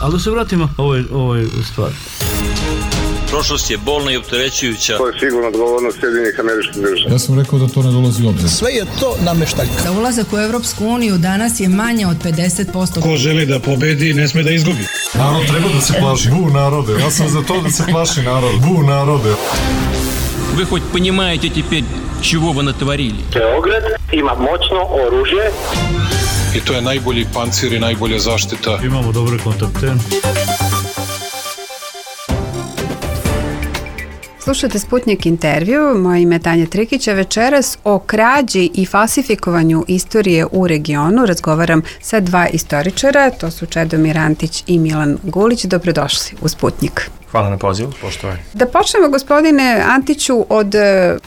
Ali da se vratimo ovoj stvari. Prošlost je bolna i opterećujuća. To je sigurno odgovornost Sjedinjenih Američkih Država. Ja sam rekao da to ne dolazi u obzir. Sve je to nameštaljka. Da ulazak u Evropsku uniju danas je manje od 50%. Ko želi da pobedi, ne sme da izgubi. Narod treba da se plaši. Bu narode. Ja sam za to da se plaši narod. Bu narode. Вы хоть понимаете теперь, чего вы натворили? Beograd ima moćno oružje. I to je najbolji pancir i najbolja zaštita. Imamo dobre kontakte. Slušajte Sputnjik intervju, moje ime je Tanja Trikića. Večeras o krađi i falsifikovanju istorije u regionu razgovaram sa dva istoričara, to su Čedomir Antić i Milan Gulić. Dobrodošli u Sputnjik. Hvala na pozivu, poštovani. Da počnemo, gospodine Antiću, od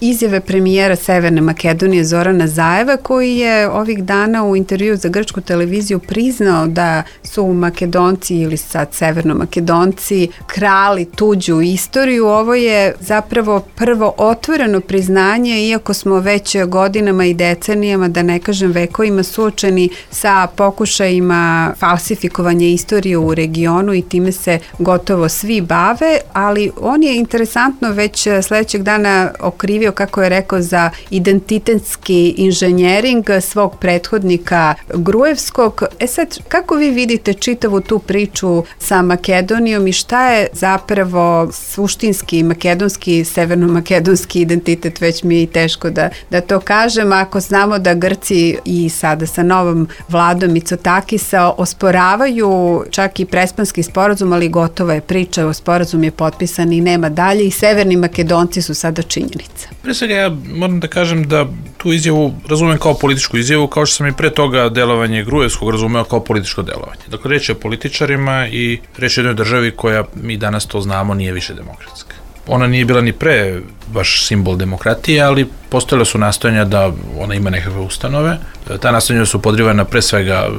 izjave premijera Severne Makedonije Zorana Zaeva, koji je ovih dana u intervju za grčku televiziju priznao da su Makedonci ili sad Severnomakedonci krali tuđu istoriju. Ovo je zapravo prvo otvoreno priznanje, iako smo već godinama i decenijama, da ne kažem vekovima, suočeni sa pokušajima falsifikovanja istorije u regionu i time se gotovo svi bave. Ali on je interesantno već sledećeg dana okrivio, kako je rekao, za identitetski inženjering svog prethodnika Gruevskog. Sad, kako vi vidite čitavu tu priču sa Makedonijom i šta je zapravo suštinski makedonski, severnomakedonski identitet? Već mi je teško da to kažem, ako znamo da Grci i sada sa novom vladom Mitsotakisa osporavaju čak i Prespanski sporazum, ali gotova je priča, o sporazum je potpisan i nema dalje i Severni Makedonci su sada činjenica. Pre svega ja moram da kažem da tu izjavu razumem kao političku izjavu, kao što sam i pre toga delovanje Gruevskog razumeo kao političko delovanje. Dakle, reč je o političarima i reč je o jednoj državi koja, mi danas to znamo, nije više demokratska. Ona nije bila ni pre baš simbol demokratije, ali postojale su nastojanja da ona ima nekakve ustanove. Ta nastojanja su podrivana pre svega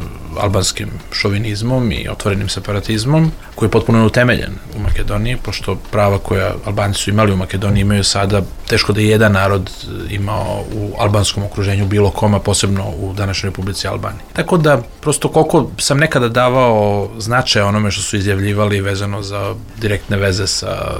albanskim šovinizmom i otvorenim separatizmom, koji je potpuno utemeljen u Makedoniji, pošto prava koja Albanci su imali u Makedoniji imaju sada, teško da je jedan narod imao u albanskom okruženju bilo koma, posebno u današnjoj Republici Albaniji. Tako da, prosto koliko sam nekada davao značaja onome što su izjavljivali vezano za direktne veze sa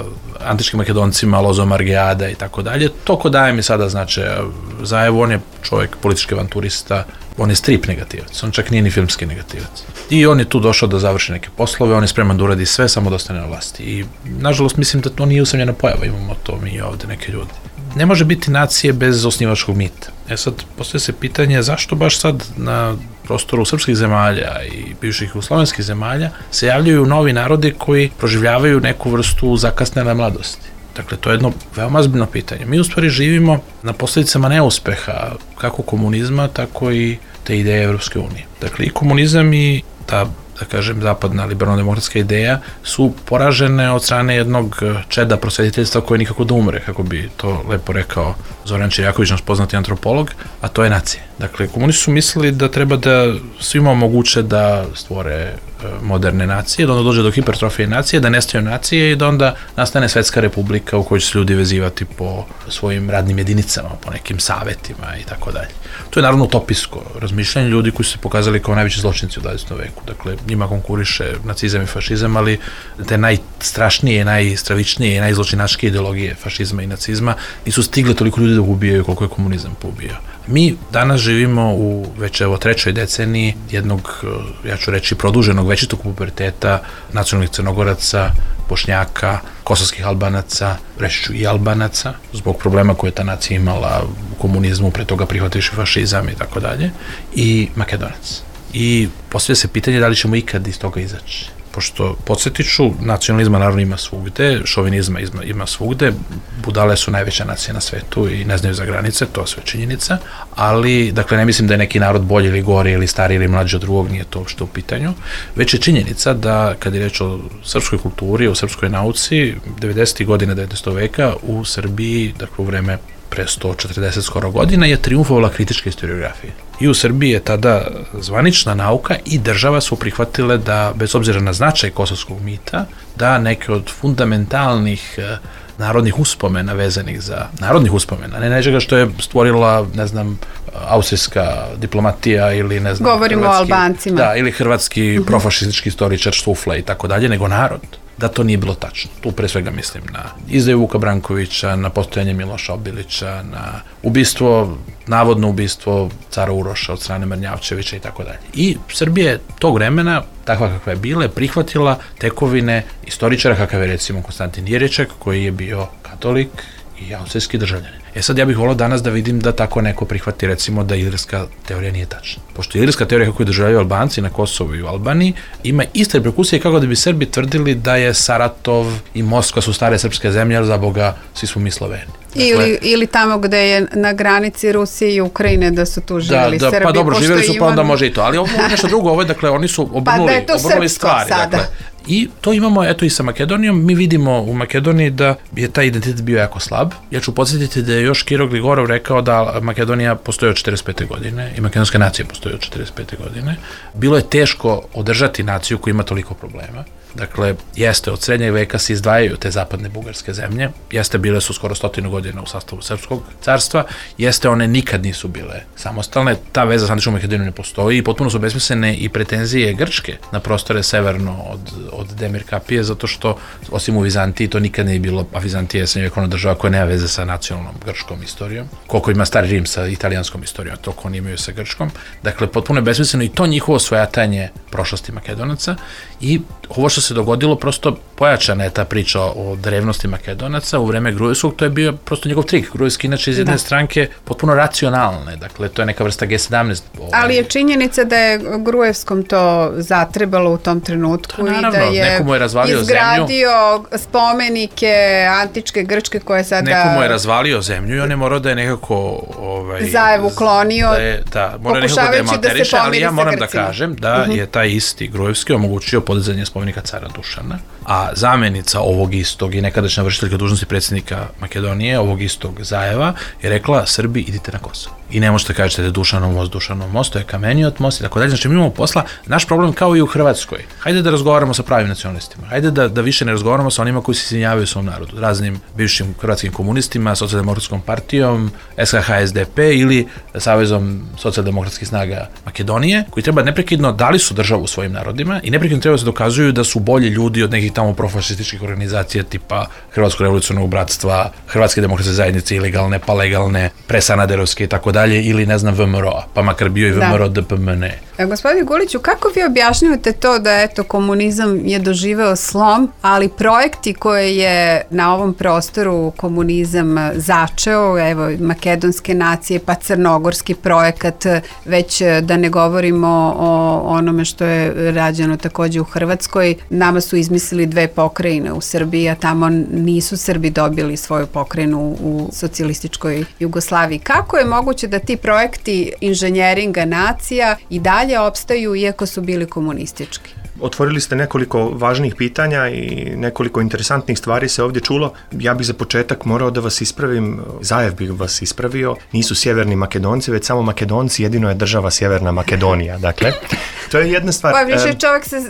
antičkim Makedoncima, Lozom Argeada i tako dalje, toliko daje mi sada značaja. Zaevo, on je čovjek, politički avanturista, on je strip negativac, on čak nije ni filmski negativac. I on je tu došao da završi neke poslove, on je spreman da uradi sve, samo da ostane na vlasti. I, nažalost, mislim da to nije usamljena pojava, imamo to mi ovde neke ljudi. Ne može biti nacije bez osnivačkog mita. Sad, postoje se pitanje zašto baš sad na prostoru srpskih zemalja i bivših jugoslovenskih zemalja se javljaju novi narodi koji proživljavaju neku vrstu zakasnele mladosti. Dakle, to je jedno veoma ozbiljno pitanje. Mi u stvari živimo na posljedicama neuspeha kako komunizma, tako i te ideje Evropske unije. Dakle, i komunizam i ta, da kažem, zapadna liberalno-demokratska ideja su poražene od strane jednog čeda prosvetiteljstva koje nikako da umre, kako bi to lepo rekao Zoran Čirjaković, naš poznati antropolog, a to je nacija. Dakle, komunisti su mislili da treba da svima omoguće da stvore moderne nacije, da onda dođe do hipertrofije nacije, da nestaju nacije i da onda nastane svetska republika u kojoj će se ljudi vezivati po svojim radnim jedinicama, po nekim savetima i tako dalje. To je naravno utopijsko razmišljanje ljudi koji su se pokazali kao najveći zločinci u 20. veku. Dakle, njima konkuriše nacizam i fašizam, ali te najstrašnije, najstravičnije i najzločinačke ideologije fašizma i nacizma nisu stigle toliko ljudi da ubijaju koliko je komunizam poubijao. Mi danas živimo u već evo trećoj deceniji jednog, ja ću reći, produženog većitog puberteta nacionalnih Crnogoraca, Bošnjaka, kosovskih Albanaca, reći ću i Albanaca, zbog problema koje je ta nacija imala u komunizmu, pre toga prihvativši fašizam i tako dalje, i Makedonac. I postavlja se pitanje da li ćemo ikad iz toga izaći. Pošto, podsjetiću, nacionalizma naravno ima svugde, šovinizma ima svugde, budale su najveća nacija na svetu i ne znaju za granice, to je sve činjenica, ali, dakle, ne mislim da je neki narod bolji ili gori ili stariji ili mlađi od drugog, nije to uopšte u pitanju, već je činjenica da, kad je reč o srpskoj kulturi, o srpskoj nauci, 90. godina 19. veka u Srbiji, dakle, u vreme pre 140 skoro godina, je triumfovala kritička historiografija. I u Srbiji je tada zvanična nauka i država su prihvatile da, bez obzira na značaj kosovskog mita, da neke od fundamentalnih narodnih uspomena vezanih za narodnih uspomena, ne nečega što je stvorila, ne znam, austrijska diplomatija ili ne znam... Govorimo o Albancima. Da, ili hrvatski profašistički istoričar Štufla i tako dalje, nego narod. Da to nije bilo tačno. Tu pre svega mislim na izdaju Vuka Brankovića, na postojanje Miloša Obilića, na navodno ubistvo cara Uroša od strane Mrnjavčevića i tako dalje. I Srbija je tog vremena, takva kakva je bila, prihvatila tekovine istoričara kakav je recimo Konstantin Jeriček, koji je bio katolik i austrijski državljanin. Sad ja bih volao danas da vidim da tako neko prihvati recimo da ilirska teorija nije tačna. Pošto ilirska teorija kako je doživljavaju Albanci na Kosovu i u Albaniji ima iste reperkusije kako da bi Srbi tvrdili da je Saratov i Moskva su stare srpske zemlje, ali za Boga svi smo mi Sloveni. Ili tamo gde je na granici Rusije i Ukrajine da su tu živjeli Srbi. Pa dobro, živjeli su pa onda može i to, ali ovo je nešto drugo, ovo je, dakle, oni su obrnuli stvari. Dakle, i to imamo, eto, i sa Makedonijom. Mi vidimo u Makedoniji da je taj identitet bio jako slab. Ja ću podsjetiti da je još Kiro Gligorov rekao da Makedonija postoji od 45. godine i makedonska nacija postoji od 45. godine. Bilo je teško održati naciju koja ima toliko problema. Dakle, jeste, od srednjeg veka se izdvajaju te zapadne bugarske zemlje, jeste, bile su skoro 100 godina u sastavu Srpskog carstva, jeste, one nikad nisu bile samostalne, ta veza sa antičkom Makedonijom ne postoji i potpuno su besmislene i pretenzije Grčke na prostore severno od Demirkapije, zato što, osim u Vizantiji, to nikad nije bilo, a Vizantija je srednjovjekovna država koja nema veze sa nacionalnom grčkom istorijom, koliko ima Stari Rim sa italijanskom istorijom, to ko oni imaju sa grčkom. Dakle, potpuno je besmisleno i to njihovo svojatanje prošlosti Makedonaca i ovo što se dogodilo, prosto pojačana je ta priča o drevnosti Makedonaca u vreme Gruevskog, to je bio prosto njegov trik. Gruevski inače iz jedne stranke potpuno racionalne, dakle to je neka vrsta G17. Ali je činjenica da je Gruevskom to zatrebalo u tom trenutku i da je izgradio spomenike antičke Grčke koje sada... Neko mu je razvalio zemlju i on je morao da je nekako... Zajevu klonio, pokušavajući da se pomiri sa Grcima. Ali ja moram da kažem da je taj isti Gruevski omogućio podizanje spomenika cara Dušana, a zamenica ovog istog i nekadašnja vršiteljka dužnosti predsjednika Makedonije, ovog istog Zajeva, je rekla: Srbi, idite na Kosovo. I ne možete kažete da je Dušanov most, to je Kamenijot most i tako dalje. Znači, mi imamo posla, naš problem kao i u Hrvatskoj. Hajde da razgovaramo sa pravim nacionalistima. Hajde da više ne razgovaramo sa onima koji se izvinjavaju svom narodu, raznim bivšim hrvatskim komunistima, Socijaldemokratskom partijom, SKH SDP ili Savezom socijaldemokratskih snaga Makedonije, koji treba neprekidno dali su državu svojim narodima i neprekidno treba da se dokazuju da su bolji ljudi od nekih tamo profašističkih organizacija tipa Hrvatskog revolucionarnog bratstva, Hrvatske demokratske zajednice ilegalne, pa legalne, presanaderovske i tako dalje, ili ne znam VMRO, pa makar bio i VMRO DPMN. Gospodine Guliću, kako vi objašnjavate to da eto komunizam je doživeo slom, ali projekti koje je na ovom prostoru komunizam začeo, evo makedonske nacije, pa crnogorski projekat, već da ne govorimo o onome što je rađeno takođe u Hrvatskoj, nama su izmislili 2 pokrajine u Srbiji, a tamo nisu Srbi dobili svoju pokrajinu u socijalističkoj Jugoslaviji. Kako je moguće da ti projekti inženjeringa nacija i dalje opstaju iako su bili komunistički? Otvorili ste nekoliko važnih pitanja i nekoliko interesantnih stvari se ovdje čulo. Ja bih za početak morao da vas ispravim, Zajev bih vas ispravio, nisu sjeverni Makedonci, već samo Makedonci, jedino je država Sjeverna Makedonija. Dakle, to je jedna stvar. Pa više čovjek se...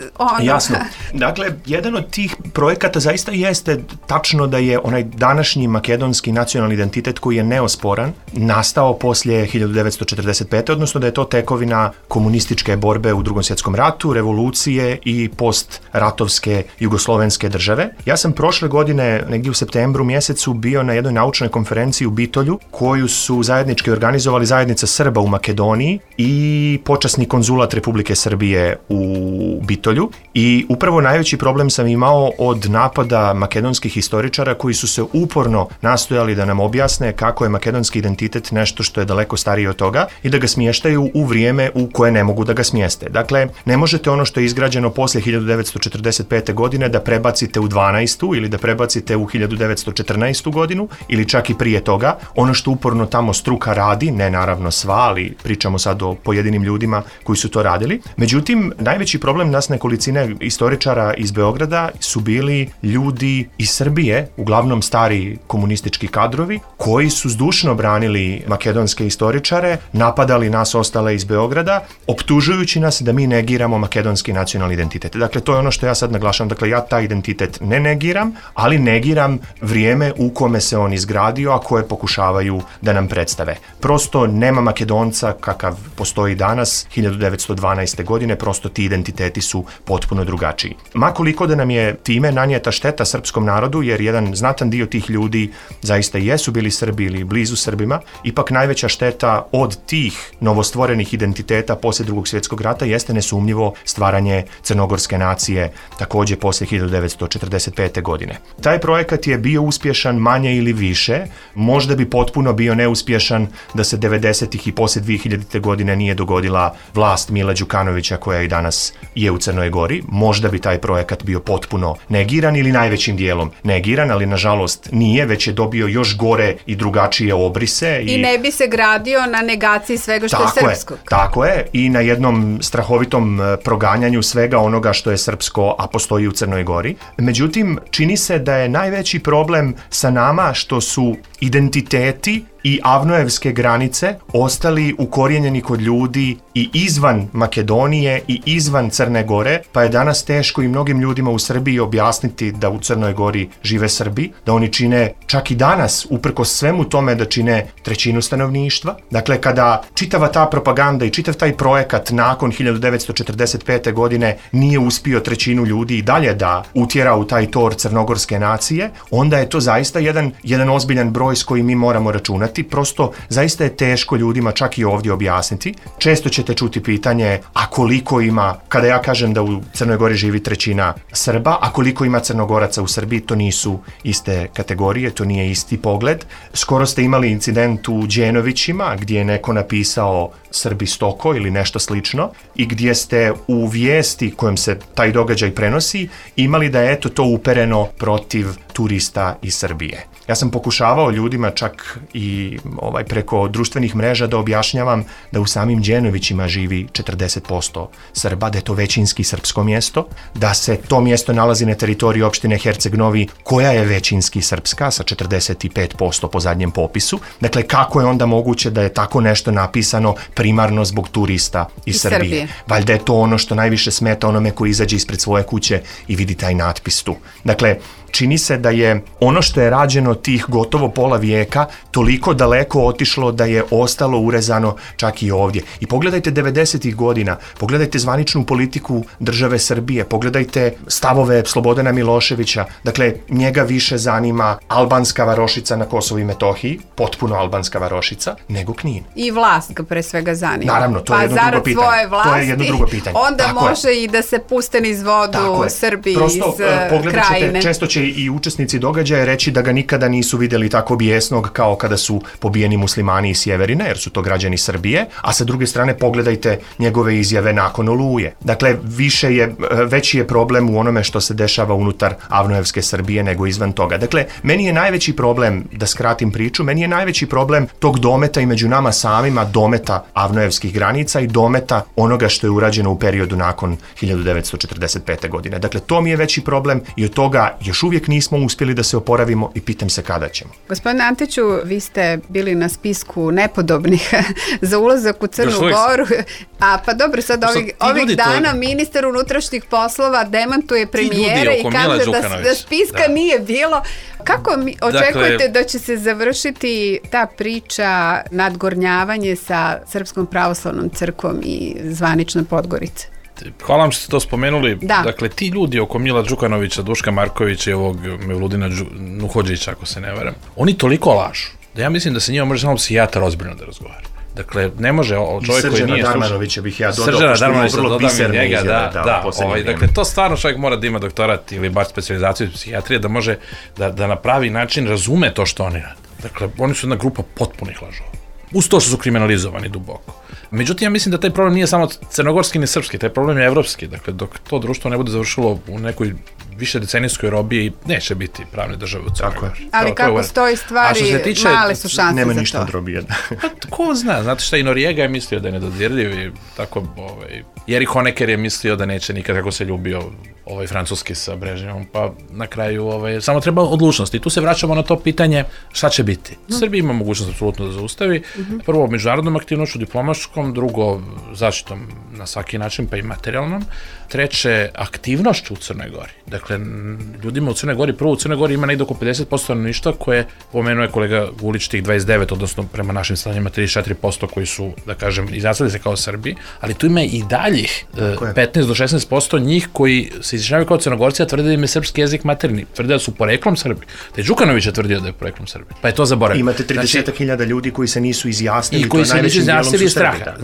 Jasno. Dakle, jedan od tih projekata zaista jeste tačno da je onaj današnji makedonski nacionalni identitet koji je neosporan, nastao poslije 1945. odnosno da je to tekovina komunističke borbe u Drugom svjetskom ratu, revolucije i postratovske jugoslovenske države. Ja sam prošle godine, negdje u septembru mjesecu, bio na jednoj naučnoj konferenciji u Bitolju, koju su zajednički organizovali zajednica Srba u Makedoniji i počasni konzulat Republike Srbije u Bitolju. I upravo najveći problem sam imao od napada makedonskih historičara koji su se uporno nastojali da nam objasne kako je makedonski identitet nešto što je daleko starije od toga i da ga smještaju u vrijeme u koje ne mogu da ga smjeste. Dakle, ne možete ono što je izgrađeno poslije 1945. godine da prebacite u 12. ili da prebacite u 1914. godinu ili čak i prije toga. Ono što uporno tamo struka radi, ne naravno sva, ali pričamo sad o pojedinim ljudima koji su to radili. Međutim, najveći problem nas nekolicine istoričara iz Beograda su bili ljudi iz Srbije, uglavnom stari komunistički kadrovi, koji su zdušno branili makedonske istoričare, napadali nas ostale iz Beograda, optužujući nas da mi negiramo makedonski nacionalni identitet. Dakle, to je ono što ja sad naglašavam. Dakle, ja taj identitet ne negiram, ali negiram vrijeme u kome se on izgradio, a koje pokušavaju da nam predstave. Prosto nema Makedonca kakav postoji danas, 1912. godine, prosto ti identiteti su potpuno drugačiji. Makoliko da nam je time nanijeta šteta srpskom narodu, jer jedan znatan dio tih ljudi zaista jesu bili Srbi ili blizu Srbima, ipak najveća šteta od tih novostvorenih identiteta poslije Drugog svjetskog rata jeste nesumnjivo stvaranje crnogorske nacije, također poslije 1945. godine. Taj projekat je bio uspješan manje ili više, možda bi potpuno bio neuspješan da se 90-ih i poslije 2000. godine nije dogodila vlast Mila Đukanovića koja i danas je u Crnoj Gori. Možda bi taj projekat bio potpuno negiran ili najvećim dijelom negiran, ali nažalost nije, već je dobio još gore i drugačije obrise. I ne bi se gradio na negaciji svega što je srpskog. Tako je, i na jednom strahovitom proganjanju svega onoga što je srpsko, a postoji u Crnoj Gori. Međutim, čini se da je najveći problem sa nama što su identiteti i avnojevske granice ostali ukorijenjeni kod ljudi i izvan Makedonije i izvan Crne Gore, pa je danas teško i mnogim ljudima u Srbiji objasniti da u Crnoj Gori žive Srbi, da oni čine čak i danas, uprkos svemu tome, da čine trećinu stanovništva. Dakle, kada čitava ta propaganda i čitav taj projekat nakon 1945. godine nije uspio trećinu ljudi i dalje da utjera u taj tor crnogorske nacije, onda je to zaista jedan ozbiljan broj s kojim mi moramo računati. Prosto zaista je teško ljudima čak i ovdje objasniti. Često ćete čuti pitanje, a koliko ima, kada ja kažem da u Crnoj Gori živi trećina Srba, a koliko ima Crnogoraca u Srbiji, to nisu iste kategorije, to nije isti pogled. Skoro ste imali incident u Đenovićima gdje je neko napisao Srbi stoko ili nešto slično i gdje ste u vijesti kojom se taj događaj prenosi imali da je eto to upereno protiv turista iz Srbije. Ja sam pokušavao ljudima čak i preko društvenih mreža da objašnjavam da u samim Đenovićima živi 40% Srba, da je to većinski srpsko mjesto, da se to mjesto nalazi na teritoriji opštine Herceg-Novi koja je većinski srpska sa 45% po zadnjem popisu. Dakle, kako je onda moguće da je tako nešto napisano primarno zbog turista iz Srbije? Valjda je to ono što najviše smeta onome koji izađe ispred svoje kuće i vidi taj natpis tu. Dakle, čini se da je ono što je rađeno tih gotovo pola vijeka toliko daleko otišlo da je ostalo urezano čak i ovdje. I pogledajte 90-ih godina, pogledajte zvaničnu politiku države Srbije, pogledajte stavove Slobodana Miloševića. Dakle, njega više zanima albanska varošica na Kosovu i Metohiji, potpuno albanska varošica, nego Knin. I vlast ga pre svega zanima. Naravno, to je jedno drugo pitanje. Svoje vlasti, to je jedno drugo pitanje. Onda tako može i da se puste niz vodu Srbi prosto, iz krajine. Često će i učesnici događaja reći da ga nikada nisu vidjeli tako bijesnog kao kada su pobijeni muslimani iz Sjeverine, jer su to građani Srbije, a sa druge strane pogledajte njegove izjave nakon Oluje. Dakle, veći je problem u onome što se dešava unutar avnojevske Srbije nego izvan toga. Dakle, meni je najveći problem, da skratim priču, meni je najveći problem tog dometa i među nama samima, dometa avnojevskih granica i dometa onoga što je urađeno u periodu nakon 1945. godine. Dakle, to mi je veći problem i od toga još uvijek nismo uspjeli da se oporavimo i pitam se kada ćemo. Gospodine Antiću, vi ste bili na spisku nepodobnih za ulazak u Crnu Goru. A pa dobro, sad ovih dana ministar unutrašnjih poslova demantuje premijera i kaže da spiska nije bilo. Kako očekujete da će se završiti ta priča nadgornjavanje sa Srpskom pravoslavnom crkvom i zvaničnom Podgorice? Hvala vam što ste to spomenuli. Dakle, ti ljudi oko Mila Đukanovića, Duška Markovića i ovog Mevludina Nuhodžića, ako se ne varam, oni toliko lažu da ja mislim da se njima može samo psihijatar ozbiljno da razgovara. Dakle, ne može čovjek koji nije... Darmanovića bih ja dodao, pošto ima vrlo biserne izjave. Dakle, to stvarno čovjek mora da ima doktorat ili bar specijalizaciju iz psihijatrije da može da na pravi način razume to što oni rade. Dakle, oni su jedna grupa potpunih lažova. Uz to što su kriminalizovani duboko. Međutim, ja mislim da taj problem nije samo crnogorski ni srpski, taj problem je evropski. Dakle, dok to društvo ne bude završilo u nekoj više decenijskoj robiji neće biti pravne države u Crnoj Gori. Ali kako stoji stvari, male su šanse nema za to. ništa od robije. Ko zna, znate šta, i Noriega je mislio da je nedodirljiv i tako, Erich Honecker je mislio da neće nikad, kako se ljubio francuski sa Brežnjevom, pa na kraju samo treba odlučnosti. I tu se vraćamo na to pitanje šta će biti. Srbija ima mogućnost apsolutno da zaustavi. Prvo, međunarodnom aktivnošću, diplomatskom, drugo, zaštitom na svaki način, pa i materijalnom. Treće, aktivnošću u Crnoj Gori. Dakle, ljudima u Crnoj Gori, prvo u Crnoj Gori ima negdje oko 50% stanovništva koje pomenuje kolega Gulić tih 29, odnosno prema našim stanjima 34% koji su, da kažem, izjasnili se kao Srbi, ali tu ima i daljih 15 do 16% njih koji se izjašnjavaju kao Crnogorci, a tvrde da im je srpski jezik maternji, tvrde da su poreklom Srbi. Taj Đukanović je tvrdio da je poreklom Srbi, pa je to zaboravio. Imate 30.000 ljudi koji se nisu izjasnili i koji se nisu izjasnili iz straha.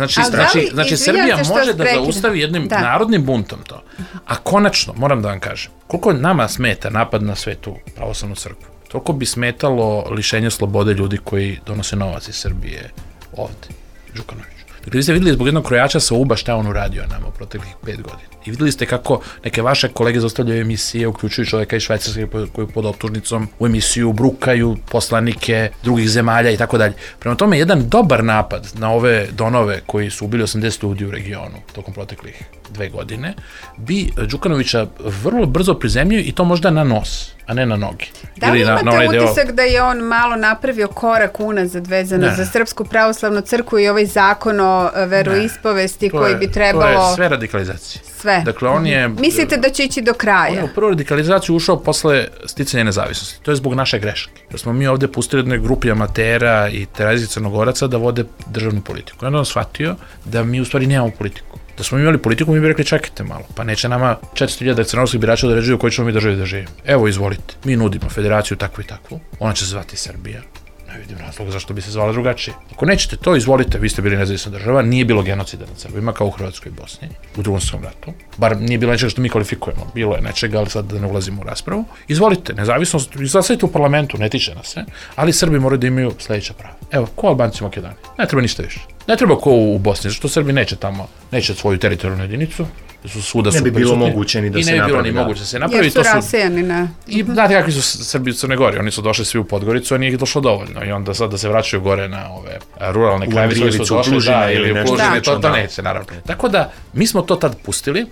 Znači Srbija može da zaustavi jednim narodnim buntom to. A konačno, moram da vam kažem, koliko nama smeta napad na Svetu pravoslavnu crkvu, toliko bi smetalo lišenje slobode ljudi koji donose novac iz Srbije ovde, Đukanović. Dakle, vi ste vidjeli zbog jednog krojača sa UBA šta on uradio nama u proteklih 5 godina. I vidjeli ste kako neke vaše kolege zaustavljaju emisije, uključuju čovjeka iz Švajcarske koji pod optužnicom u emisiju brukaju poslanike drugih zemalja i tako dalje. Prema tome, jedan dobar napad na ove donove koji su ubili 80 ljudi u regionu tokom proteklih 2 godine, bi Đukanovića vrlo brzo prizemljio i to možda na nos, a ne na noge. Da li imate utisak da je on malo napravio korak unazad vezano za Srpsku pravoslavnu crkvu i ovaj zakon o veroispovesti koji bi trebalo... To je sve radikalizacija. Sve. Dakle, on je... Mislite da će ići do kraja? On je u prvu radikalizaciju ušao posle sticanja nezavisnosti. To je zbog naše greške. Da smo mi ovde pustili jednoj grupi amatera i terazijskih Crnogoraca da vode državnu politiku. Onda on shvatio da mi u stvari nemamo politiku. Da smo imali politiku, mi bi rekli čekajte malo, pa neće nama 400.000 crnogorskih birača da ređuju koji ćemo mi državi da živimo. Evo, izvolite, mi nudimo federaciju takvu i takvu, ona će se zvati Srbija. Ne vidim razloga zašto bi se zvala drugačije. Ako nećete to, izvolite, vi ste bili nezavisna država, nije bilo genocida nad Srbima kao u Hrvatskoj i Bosni, u Drugom svjetskom ratu. Bar nije bilo nečega što mi kvalifikujemo, bilo je nečega, ali sad da ne ulazimo u raspravu. Izvolite, nezavisnost, izglasajte u parlamentu, ne tiče nas se, ali Srbi moraju da imaju sledeća prava. Evo, ko Albanci u Makedoniji? Ne treba ništa više. Ne treba ko u Bosni, zašto Srbi neće tamo, neće svoju teritorijalnu jedinicu, su svuda su prisutni. Ne bi bilo moguće ni da se napravi. I ne bi bilo ni moguće da se napravi. Jer su rasejani na... I znate kakvi su Srbi u Crnoj Gori, oni su došli svi u Podgoricu, a nije ih došlo dovoljno i onda sad da se vraćaju gore na ove ruralne krajeve, koji su došli, ili u Plužine, to neće, naravno. Tako da, mi smo to tad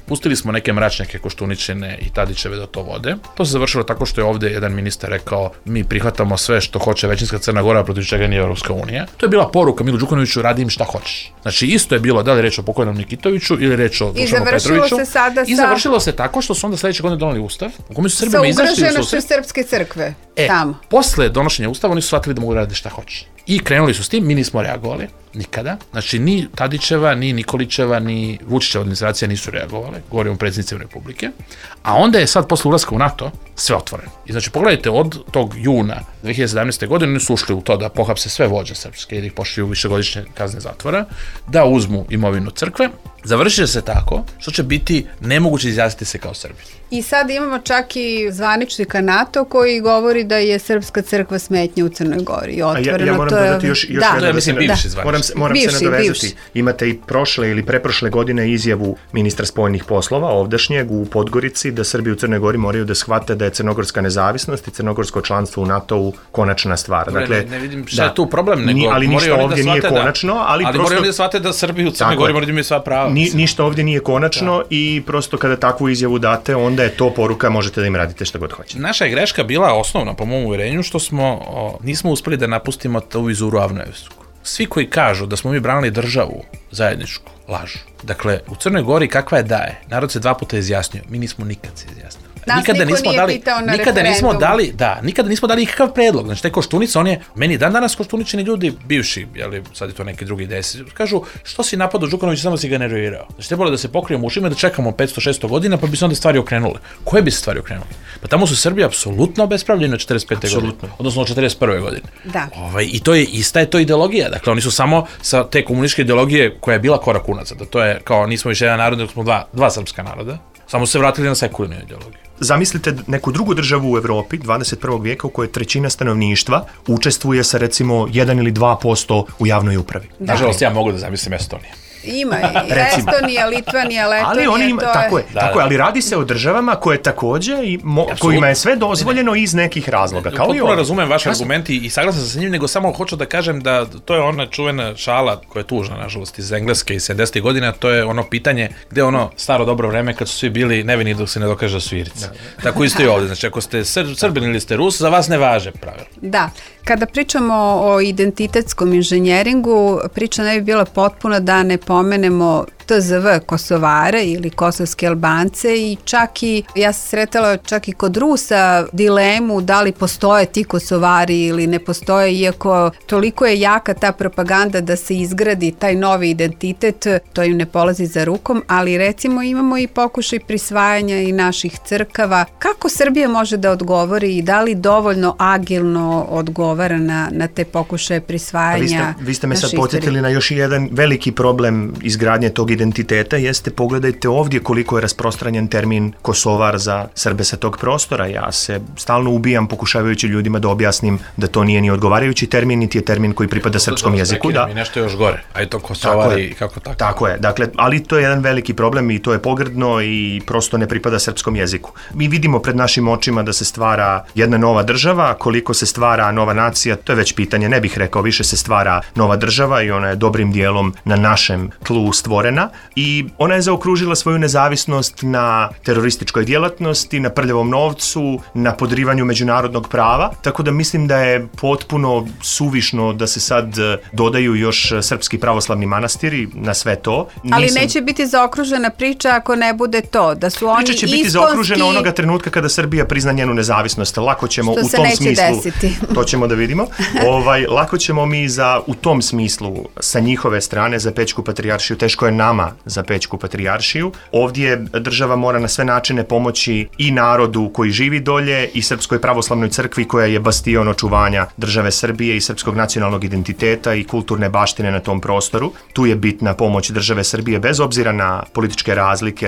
pustili smo neke mračnjake Koštuničine i Tadićeve da to vode. To se završilo tako što je ovde jedan ministar rekao, mi prihvatamo sve što hoće većinska Crna Gora, protiv čega nije Evropska unija. To je bila poruka Milu Đukanoviću, radi im šta hoćeš. Znači, isto je bilo da li reč o pokojnom Nikitoviću ili reč o Dušanu Petroviću. I završilo se tako što su onda sledeće godine doneli ustav u kome su Srbima izašli sa ugroženošću Srpske crkve tamo. Posle donošenja ustava oni su shvatili da mogu raditi šta hoće. I krenuli su s tim, mi nismo reagovali nikada. Znači, ni Tadićeva, ni Nikolićeva, ni Vučićeva administracija nisu reagovali, govorimo o predsjednicima Republike. A onda je sad, posle ulaska u NATO, sve otvoreno. I znači, pogledajte, od tog juna 2017. godine oni su ušli u to da pohapse sve vođe srpske i da ih pošlju u višegodišnje kazne zatvora, da uzmu imovinu crkve. Završit će se tako što će biti nemoguće izjasniti se kao Srbi. I sad imamo čak i zvaničnika NATO koji govori da je Srpska crkva smetnja u Crnoj Gori. Otvoreno, ja moram dodati još jedno. Mislim, bivši zvaničnik. Moram se nadovezati. Imate i prošle ili preprošle godine izjavu ministra spoljnih poslova, ovdašnjeg u Podgorici, da Srbi u Crnoj Gori moraju da shvate da je crnogorska nezavisnost i crnogorsko članstvo u NATO-u konačna stvar. Dakle, ne vidim šta je tu problem, ali ništa ovdje nije konačno. Ali moraju da shvate da Srbi u Crnoj Gori moraju da imaju sva prava. Ništa ovdje nije konačno i prosto kada takvu izjavu date, onda je to poruka, možete da im radite šta god hoćete. Naša je greška bila osnovna, po mom uverenju, što nismo uspeli da napustimo tu vizuru Avnoevsku. Svi koji kažu da smo mi branili državu zajedničku, lažu. Dakle, u Crnoj Gori kakva je da je, narod se 2 puta izjasnio, mi nismo nikad se izjasnili. Nikada nismo dali nikakav predlog. Znači, taj Koštunica, on je, meni danas Koštuničini ljudi, bivši, sad je to neki drugi desi, kažu, što si napadao Đukanovića, samo si ga nervirao. Znači, trebalo da se pokrijemo ušima, da čekamo 500-600 godina, pa bi se onda stvari okrenule. Koje bi se stvari okrenule? Pa tamo su Srbi apsolutno obespravljeni od 45. godine, odnosno od 41. godine. Da. I to je, ista je to ideologija. Dakle, oni su samo sa te komunističke ideologije koja je bila korak unazad, da to je kao nismo više jedan narod, nego smo dva srpska naroda, samo se vratili na sekularnu ideologiju. Zamislite neku drugu državu u Evropi 21. vijeka u kojoj 1/3 stanovništva učestvuje sa recimo 1 ili 2% u javnoj upravi. Nažalost, ja mogu da zamislim Estoniju. Ima i Estonija, Litvanija, Letonija, ali oni ima, tako je, ali radi se o državama koje takođe kojima je sve dozvoljeno iz nekih razloga. Potpuno razumem vaš argument i saglasan sam sa njim, nego samo hoću da kažem da to je ona čuvena šala koja je tužna, nažalost, iz Engleske iz 70. godina, to je ono pitanje gde ono staro dobro vreme kad su svi bili nevini dok se ne dokaže da su Irci. Tako isto i ovdje, znači ako ste Srbin ili ste Rus, za vas ne važe pravilo. Da, kada pričamo o identitetskom inženjeringu, priča ne bi bila potpuna da ne pomenemo TZV Kosovare ili kosovske Albance i čak i, ja sam sretala čak i kod Rusa dilemu da li postoje ti Kosovari ili ne postoje, iako toliko je jaka ta propaganda da se izgradi taj novi identitet, to im ne polazi za rukom, ali recimo imamo i pokušaj prisvajanja i naših crkava. Kako Srbija može da odgovori i da li dovoljno agilno odgovara na te pokušaje prisvajanja? Vi ste me sad podsjetili na još jedan veliki problem izgradnje tog identiteta, jeste, pogledajte ovdje koliko je rasprostranjen termin Kosovar za Srbe sa tog prostora. Ja se stalno ubijam pokušavajući ljudima da objasnim da to nije ni odgovarajući termin, niti je termin koji pripada srpskom jeziku. Da. I nešto još gore, a je to Kosovar i kako tako. Tako je, dakle, ali to je jedan veliki problem i to je pogrdno i prosto ne pripada srpskom jeziku. Mi vidimo pred našim očima da se stvara jedna nova država, koliko se stvara nova nacija, to je već pitanje, ne bih rekao, više se stvara nova država i ona je dobrim dijelom na našem tlu stvorena i ona je zaokružila svoju nezavisnost na terorističkoj djelatnosti, na prljavom novcu, na podrivanju međunarodnog prava, tako da mislim da je potpuno suvišno da se sad dodaju još srpski pravoslavni manastiri na sve to. Ali neće biti zaokružena priča ako ne bude to, da su oni iskonski... Priča će biti zaokružena onoga trenutka kada Srbija prizna njenu nezavisnost. Lako ćemo što u tom smislu... desiti. To ćemo da vidimo. Lako ćemo mi u tom smislu sa njihove strane za Pećku patrijaršiju, teško je nama za Pećku patrijaršiju. Ovdje država mora na sve načine pomoći i narodu koji živi dolje i Srpskoj pravoslavnoj crkvi koja je bastion očuvanja države Srbije i srpskog nacionalnog identiteta i kulturne baštine na tom prostoru. Tu je bitna pomoć države Srbije bez obzira na političke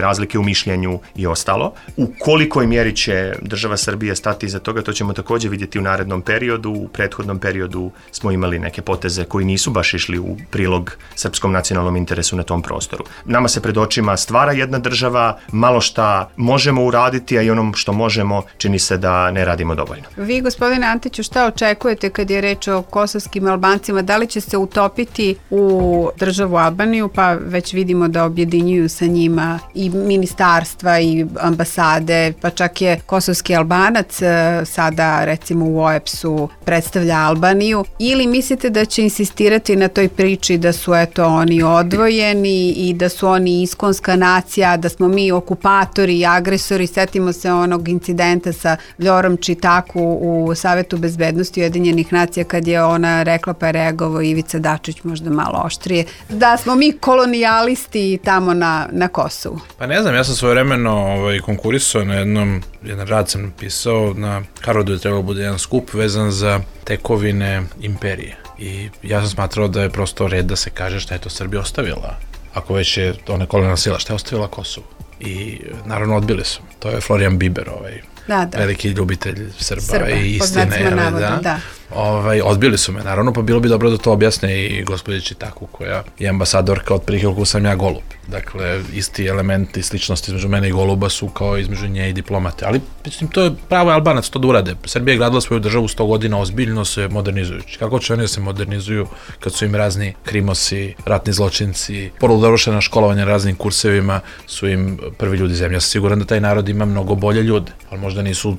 razlike u mišljenju i ostalo. U kolikoj mjeri će država Srbije stati iza toga, to ćemo također vidjeti u narednom periodu. U prethodnom periodu smo imali neke poteze koji nisu baš išli u prilog srpskom nacionalnom interesu na tom prostoru. Nama se pred očima stvara jedna država, malo šta možemo uraditi, a i onom što možemo čini se da ne radimo dovoljno. Vi, gospodine Antiću, šta očekujete kad je reč o kosovskim Albancima? Da li će se utopiti u državu Albaniju, pa već vidimo da objedinjuju sa njima i ministarstva i ambasade, pa čak je kosovski Albanac sada recimo u OEBS-u predstavlja Albaniju, ili mislite da će insistirati na toj priči da su oni odvojeni i da su oni iskonska nacija, da smo mi okupatori i agresori? Setimo se onog incidenta sa Vljorom Čitaku u Savetu bezbednosti Ujedinjenih nacija kad je ona rekla, pa je reagovao Ivica Dačić možda malo oštrije, da smo mi kolonijalisti tamo na Kosovu. Pa ne znam, ja sam svojevremeno konkurisao na jedan rad sam napisao, na Harvardu je trebalo bude jedan skup vezan za tekovine imperije. I ja sam smatrao da je prosto red da se kaže šta je to Srbija ostavila. Ako već je ona kolonijalna sila, šta je ostavila Kosovo? I naravno odbili su. To je Florian Biber, veliki ljubitelj Srba i istine. Da. Odbili su me, naravno, pa bilo bi dobro da to objasne i gospođi Čitaku, koja je ambasadorka od prilike koliko sam ja Golub. Dakle, isti elementi, sličnosti između mene i Goluba su kao između nje i diplomate. Ali, mislim, to je pravo Albanac to da urade. Srbija je gradila svoju državu 100 godina ozbiljno se modernizujući. Kako će oni da se modernizuju kad su im razni krimosi, ratni zločinci, poludovršena školovanja raznim kursevima su im prvi ljudi zemlje. Ja sam siguran da taj narod ima mnogo bolje ljude, ali možda nisu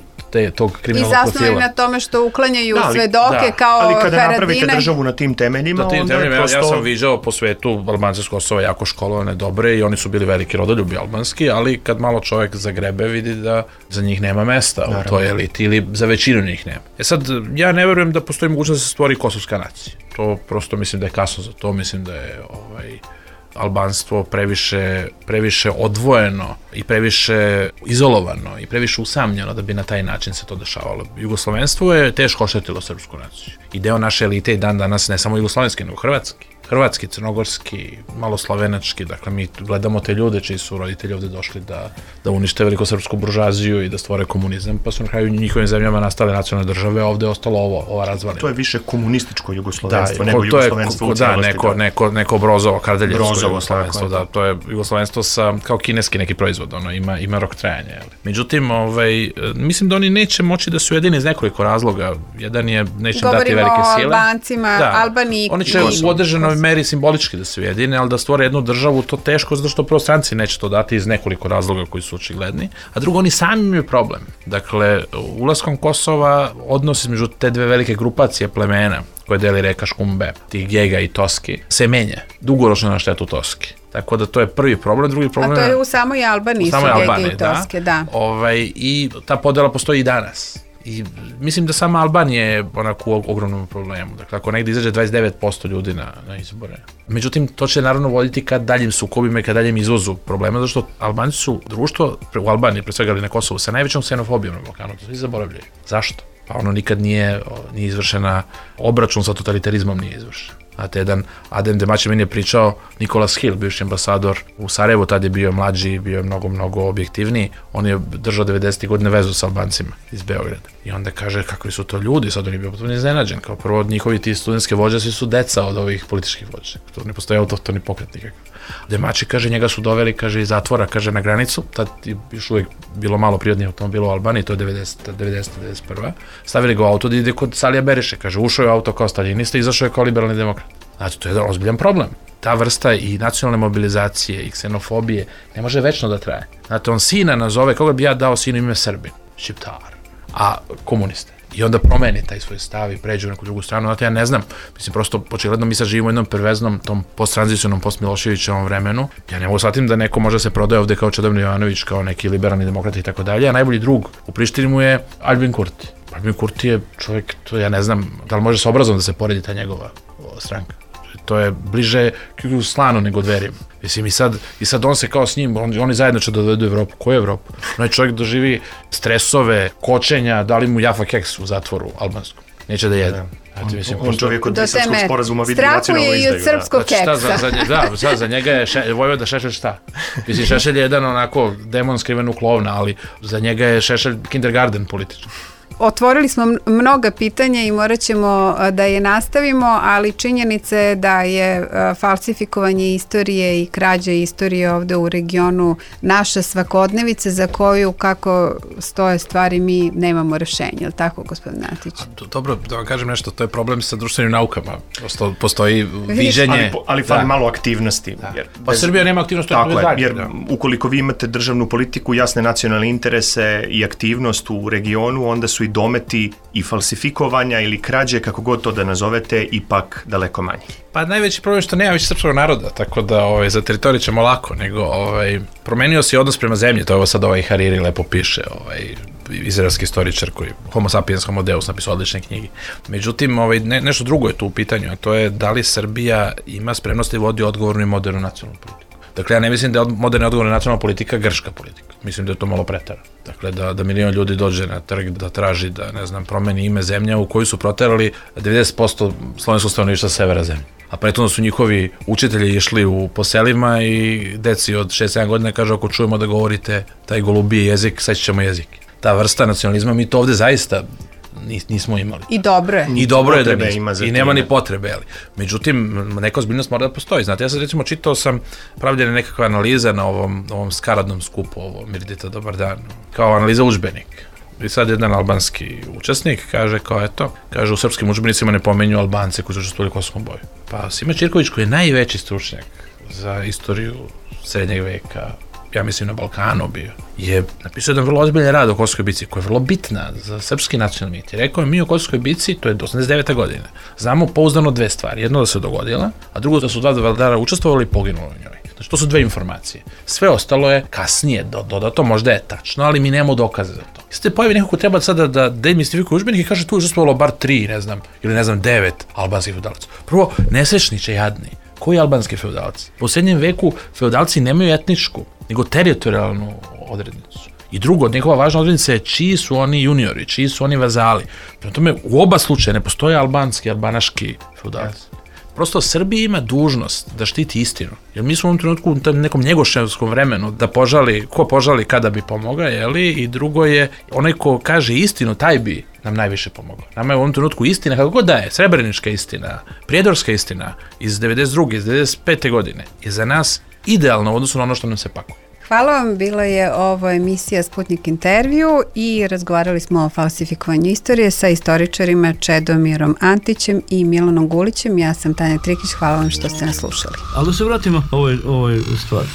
tog kriminalnog profila. I zasnovaju na tome što uklanjaju svedoke kao Haradinaj. Ali kada napravite državu na tim temeljima, onda je prosto... Ja sam viđao po svetu Albance s Kosova jako školovane, dobre i oni su bili veliki rodoljubi albanski, ali kad malo čovjek zagrebe vidi da za njih nema mesta u toj eliti ili za većinu njih nema. Sad, ja ne verujem da postoji mogućnost da se stvori kosovska nacija. To prosto mislim da je kasno za to, mislim da je albanstvo previše odvojeno i previše izolovano i previše usamljeno da bi na taj način se to dešavalo. Jugoslovenstvo je teško oštetilo srpsku naciju. I deo naše elite i dan danas, ne samo jugoslovenske, nego hrvatski, hrvatski, crnogorski, malo slovenački, dakle mi gledamo te ljude čiji su roditelji ovde došli da unište velikosrpsku buržuaziju i da stvore komunizam, pa su na kraju njihovim zemljama nastale nacionalne države, a ovde je ostalo ova razvalina. To je više komunističko jugoslovenstvo, nego jugoslovenstvo u cijelosti. Neko brozovo, kardeljevsko jugoslovenstvo, da, to je jugoslovenstvo kao kineski neki proizvod, ima rok trajanja. Međutim, mislim da oni neće moći da su jedini iz nekoliko razloga. Jedan je, neće im dati velike sile. Govorimo o Albancima, Albaniji. Oni će u određenoj meri simbolički da se ujedine, ali da stvore jednu državu, to teško, zato što prvo stranci neće to dati iz nekoliko razloga koji su očigledni, a drugo, oni sami imaju problem. Dakle, ulaskom Kosova, odnos između te dve velike grupacije plemena koje deli reka Škumbe, tih Gega i Toski, se menja. Dugoročno na štetu Toski. Tako da to je prvi problem, drugi problem... A to je u samoj Albaniji su Gege i Toske, da. I ta podela postoji i danas. I mislim da sama Albanija je onako u ogromnom problemu. Dakle, ako negdje izađe 29% ljudi na izbore. Međutim, to će naravno voditi ka daljim sukobima i ka daljem izvozu problema, zato što Albanci su društvo u Albaniji, pre svega ali na Kosovu, sa najvećom ksenofobijom na Balkanu. To svi zaboravljaju. Zašto? Pa ono nikad nije izvršena, obračun sa totalitarizmom nije izvršen. Znate, jedan Adem Demaći meni je pričao, Nikolas Hill, bivši ambasador u Sarajevu, tad je bio mlađi, bio je mnogo objektivniji, on je držao 90. godine vezu sa Albancima iz Beograda. I onda kaže kakvi su to ljudi, sad on je bio potpuno iznenađen, kao prvo njihovi ti studentske vođe svi su deca od ovih političkih vođa, to ne postoje autohtoni pokret nikakav. Demaći, kaže, njega su doveli, kaže, iz zatvora, kaže, na granicu, tad je još uvijek bilo malo prirodnih automobila u Albaniji, to je 90-91. Stavili ga u auto da ide kod Salija Beriše, kaže, ušao je u auto kao staljinista, izašao je kao liberalni demokrat. Znači, to je jedan ozbiljan problem. Ta vrsta i nacionalne mobilizacije i ksenofobije ne može večno da traje. Znate, on sina nazove, koga bi ja dao sinu ime Srbin? Šiptar. A komuniste. I onda promeni taj svoj stav i pređe u neku drugu stranu. Znate, ja ne znam, mislim, prosto, očigledno mi sad živimo u jednom perveznom, tom posttranzicionom, post-Miloševićevom vremenu. Ja ne mogu shvatim da neko može se prodaje ovde kao Čedomir Jovanović, kao neki liberalni demokrat i tako dalje, a najbolji drug u Prištini mu je Albin Kurti. Albin Kurti je čovjek, to ja ne znam, da li može s obrazom da se poredi ta njegova stranka. To je bliže Slanu nego Dverima. Mislim, i sad on se kao s njim, oni zajedno će da dovedu Evropu. Koju Evropu? Onaj čovjek doživi stresove, kočenja, dali mu Jaffa keks u zatvoru albanskom. Neće da jede. On čovjek od Brislavskog sporazuma vidi nacionalnu izdaju. Strahuje i od srpskog keksa. Za njega je Vojvoda Šešelj šta? Mislim, Šešelj je jedan onako demon skriven u klovna, ali za njega je Šešelj kindergarten politički. Otvorili smo mnoga pitanja i morat ćemo da je nastavimo, ali činjenica je da je falsifikovanje istorije i krađa istorije ovde u regionu naša svakodnevica za koju, kako stoje stvari, mi nemamo rešenja. Je li tako, gospodin Antić? Dobro, da vam kažem nešto, to je problem sa društvenim naukama. Postoji viđenje... Ali fali malo aktivnosti. Pa Srbija nema aktivnosti. Tako je, jer ukoliko vi imate državnu politiku, jasne nacionalne interese i aktivnost u regionu, onda su i dometi i falsifikovanja ili krađe, kako god to da nazovete, ipak daleko manji. Pa najveći problem je što nema više srpskog naroda, tako da za teritoriju ćemo lako, nego promenio se odnos prema zemlji, to je ovo sad Hariri lepo piše, izraelski istoričar koji Homo sapiens Homo Deus napisao odlične knjige. Međutim, nešto drugo je tu u pitanju, a to je da li Srbija ima spremnost da vodi odgovornu i modernu nacionalnu politiku. Dakle, ja ne mislim da je moderna odgovorna nacionalna politika grška politika. Mislim da je to malo pretara. Dakle, da milion ljudi dođe na trg, da traži da, ne znam, promeni ime zemlja u koju su proterali 90% slovenskog stanovništva severa zemlje. A prethodno su njihovi učitelji išli po selima i deci od 6-7 godina kaže, ako čujemo da govorite taj golubiji jezik, sad ćemo jezik. Ta vrsta nacionalizma, mi to ovde zaista nismo imali. I dobro je. I dobro je da nismo. I nema ni potrebe. Međutim, neka ozbiljnost mora da postoji. Znate, ja sad recimo čitao sam pravljena nekakva analiza na ovom skaradnom skupu, ovo Mirdita, dobar dan, kao analiza udžbenik. I sad jedan albanski učesnik kaže kao eto, kaže u srpskim udžbenicima ne pomenju Albance koji su učestvovali u Kosovskom boju. Pa Sime Ćirković koji je najveći stručnjak za istoriju srednjeg veka, ja mislim na Balkanu bio, je napisao jedan vrlo ozbiljan rad o Kosovskoj bici koja je vrlo bitna za srpski nacionalni mit. Rekao je mi o Kosovskoj bici, to je 89. godine, znamo pouzdano dve stvari. Jedno da se dogodila, a drugo da su dva vladara učestvovali i poginuli u njoj. Znači to su dve informacije. Sve ostalo je kasnije dodato, možda je tačno, ali mi nemamo dokaze za to. I sad pojavi neko ko treba sada da demistifikuje udžbenik i kaže tu je učestvovalo bar 3, ne znam, ili ne znam 9 albanskih feudalaca. Prvo, nesrećniče jadni. Koji albanski feudalci? U posljednjem veku feudalci nemaju etničku, nego teritorijalnu odrednicu. I drugo, njegova važna odrednica je čiji su oni juniori, čiji su oni vazali. Prema tome, u oba slučaja ne postoje albanski, albanaški feudalci. Prosto Srbija ima dužnost da štiti istinu. Jer mi smo u ovom trenutku u nekom njegoševskom vremenu da ko požali kada bi pomogao, jeli? I drugo je, onaj ko kaže istinu, taj bi nam najviše pomogao. Nama je u ovom trenutku istina, kako god da je, srebrenička istina, prijedorska istina iz 92. iz 95. godine je za nas idealno u odnosu na ono što nam se pakuje. Hvala vam, bila je ovo emisija Sputnik intervju i razgovarali smo o falsifikovanju istorije sa istoričarima Čedomirom Antićem i Milanom Gulićem. Ja sam Tanja Trikić, hvala vam što ste nas slušali. Ali da se vratimo ovoj stvari.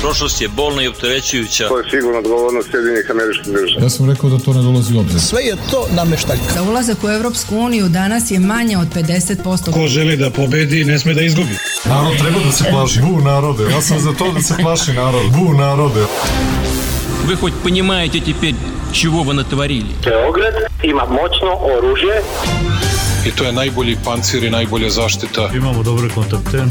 Prošlost je bolna i opterećujuća. To je sigurno odgovornost Sjedinjenih Američkih Država. Ja sam rekao da to ne dolazi u obzir. Sve je to nameštaljka. Za ulazak u Evropsku uniju danas je manje od 50%. Ko želi da pobedi, ne sme da izgubi. Narod treba da se plaši. Bu narode. Ja sam za to da se plaši narod. Bu narode. Вы хоть понимаете теперь, чего вы натворили? Beograd ima moćno oružje. I to je najbolji pancir i najbolja zaštita. Imamo dobre kontakte.